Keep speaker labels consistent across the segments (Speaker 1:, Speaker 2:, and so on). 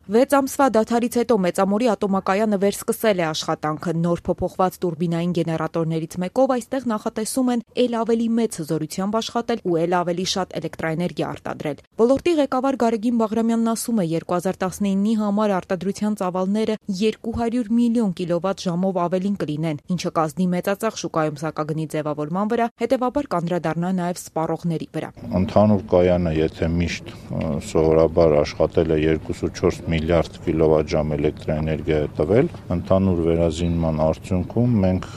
Speaker 1: 6 ամսվա դադարից հետո Մեծամորի ատոմակայանը վերսկսել է աշխատանքը նոր փոփոխված տուրբինային գեներատորներից մեկով այստեղ նախատեսում են ել ավելի մեծ հզորությամբ աշխատել ու ել ավելի շատ էլեկտրաէներգիա արտադրել։ Ոլորտի ղեկավար Գարեգին Բաղրամյանն ասում է 2019-ի համար արտադրության ծավալները 200 միլիոն կիլովատ ժամով ավելին կլինեն, ինչը կազդի մեծածախ շուկայում սակագնի ձևավորման վրա, հետևաբար կանդրադառնա նաև սպառողների վրա։
Speaker 2: Ընդհանուր կայանը, եթե միշտ սովորաբար աշխատել է 2.4 միլիարդ կիլովատժամ էլեկտրաէներգիա է տվել, ընդհանուր վերազինման արդյունքում մենք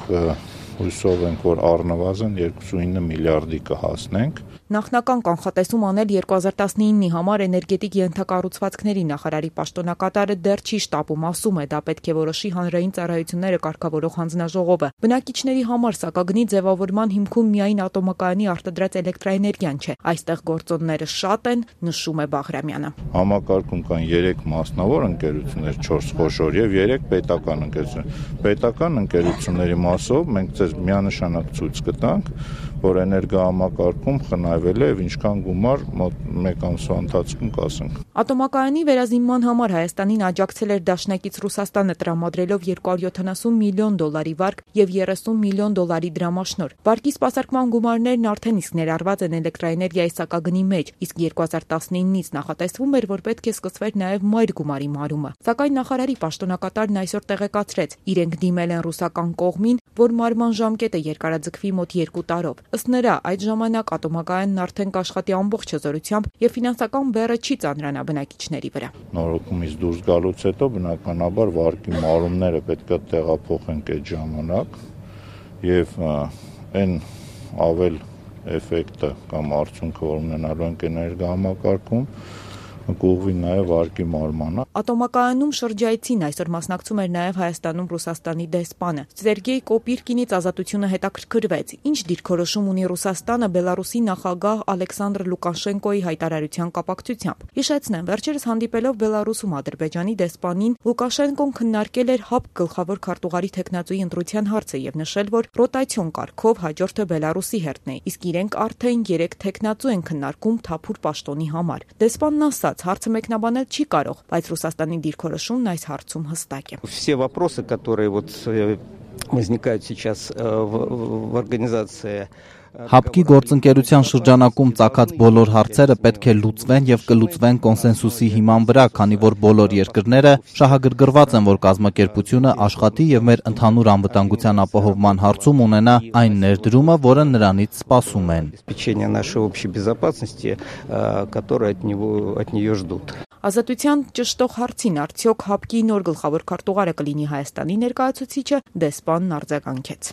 Speaker 2: հույսով ենք, որ առնվազն 2.9 միլիարդի կհասնենք։
Speaker 1: Նախնական կանխատեսում անել 2019-ի համար էներգետիկ ենթակառուցվածքների նախարարի պաշտոնակատարը դեռ չի շտապում, ասում է, դա պետք է որոշի հանրային ծառայությունները կարգավորող հանձնաժողովը։ Բնակիչների համար սակագնի ձևավորման հիմքում միայն ատոմակայանի արտադրած էլեկտրաէներգիան չէ, այստեղ գործոնները շատ են, նշում է Բաղրամյանը։
Speaker 2: Համակարգում կան 3 մասնավոր ընկերություններ, 4 խոշոր եւ 3 պետական ընկերություններ։ Պետական ընկերությունների մասով մենք ձեզ միանշանակ ցույց կտանք, որ էներգոհամակարգում խնայվել է եւ ինչքան գումար մոտ 1 ամսվա ընթացքում կասենք։
Speaker 1: Ատոմակայանի վերազինման համար Հայաստանին աջակցել էր դաշնակից Ռուսաստանը տրամադրելով $270 միլիոն վարկ եւ $30 միլիոն դրամաշնոր։ Վարկի սպասարկման գումարներն արդեն իսկ ներառված են էլեկտրաէներգիայի սակագնի մեջ, իսկ 2019-ից նախատեսվում էր, որ պետք է սկսվեր նաեւ մայր գումարի մարումը։ Սակայն նախարարի պաշտոնակատարն այսօր տեղեկացրեց, իրենք դիմել են ռուսական կողմին, որ մարման ժամկետը երկարաձգվի մոտ 2 տարով։ Ըստ նրա, այդ ժամանակ ատոմակայանն արդեն կաշխատի ամբողջ հզորությամբ եւ ֆինանսական բեռը չի ծանրանա բնակիչների վրա։
Speaker 2: Նորոգումից դուրս գալուց հետո բնականաբար վարկի մարումները պետք է տեղափոխենք այդ ժամանակ եւ այն ավել էֆեկտը կամ արդյունքը, որ ունենալու ենք էներգոհամակարգում, կուղղվի նաև վարկի մարմանը։
Speaker 1: Ատոմակայանում շրջայցին այսօր մասնակցում էր նաև Հայաստանում Ռուսաստանի դեսպանը։ Սերգեյ Կոպիրկինից Ազատությունը հետաքրքրվեց, ինչ դիրքորոշում ունի Ռուսաստանը Բելարուսի նախագահ Ալեքսանդր Լուկաշենկոյի հայտարարության կապակցությամբ։ Հիշեցնեմ, վերջերս հանդիպելով Բելարուսում Ադրբեջանի դեսպանին, Լուկաշենկոն քննարկել էր ՀԱՊԿ գլխավոր քարտուղարի թեկնածուի ընտրության հարցը եւ նշել, որ ռոտացիոն կարգով հաջորդը Բելարուսի հերթն է, իսկ իրենք արդեն 3 թեկնածու են քննարկում թափուր պաշտոնի համար։ Դեսպանն ասաց, հարցը մեկնաբանել չի կարող, բայց Ռուսաստանի դիրքորոշումն այս հարցում հստակ է։
Speaker 3: Все вопросы, которые возникают сейчас в организации
Speaker 4: ՀԱՊԿ-ի գործընկերության շրջանակում ծագած բոլոր հարցերը պետք է լուծվեն եւ կլուծվեն կոնսենսուսի հիման վրա, քանի որ բոլոր երկրները շահագրգռված են, որ կազմակերպությունը աշխատի եւ մեր ընդհանուր անվտանգության ապահովման հարցում ունենա այն ներդրումը, որը նրանից սպասում են։
Speaker 1: Ազատության ճշտող հարցին արդյոք ՀԱՊԿ-ի նոր գլխավոր քարտուղարը կլինի Հայաստանի ներկայացուցիչը, դեսպանն արձագանքեց։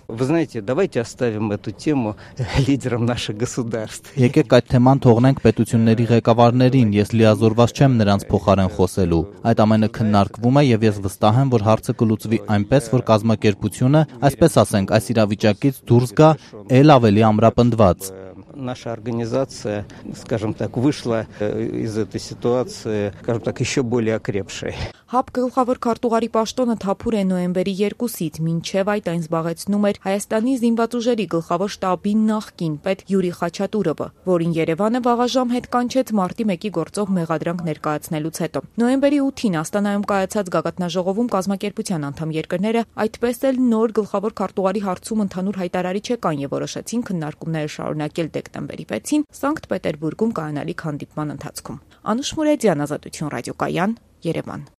Speaker 4: Եկեք այդ թեման թողնենք պետությունների ղեկավարներին, ես լիազորված չեմ նրանց փոխարեն խոսելու։ Այդ ամենը քննարկվում է եւ ես վստահ եմ, որ հարցը կլուծվի այնպես, որ կազմակերպությունը, այսպես ասենք, այս իրավիճակից դուրս գա ել ավելի ամրապնդված։
Speaker 3: Наша организация, скажем так, вышла из этой ситуации, скажем так, еще более окрепшей.
Speaker 1: ՀԱՊԿ գլխավոր քարտուղարի պաշտոնը թափուր է նոյեմբերի 2-ից, մինչև այդ այն զբաղեցնում էր Հայաստանի զինված ուժերի գլխավոր շտաբի նախկին պետ Յուրի Խաչատուրովը, որին Երևանը վաղաժամ հետ կանչեց մարտի 1-ի գործով մեղադրանք ներկայացնելուց հետո։ Նոյեմբերի 8-ին Աստանայում կայացած գագաթնաժողովում կազմակերպության անդամ երկրները այդպես էլ նոր գլխավոր քարտուղարի հարցում ընդհանուր հայտարարիչ եկան եւ որոշեցին քննարկումները շարունակել դեկտեմբերի 6-ին Սանկտ Պետերբուրգում կայանալիք հանդիպման ընթացքում։ Անուշ Մուրեդյան, Ազատություն ռադիոկայան, Երևան։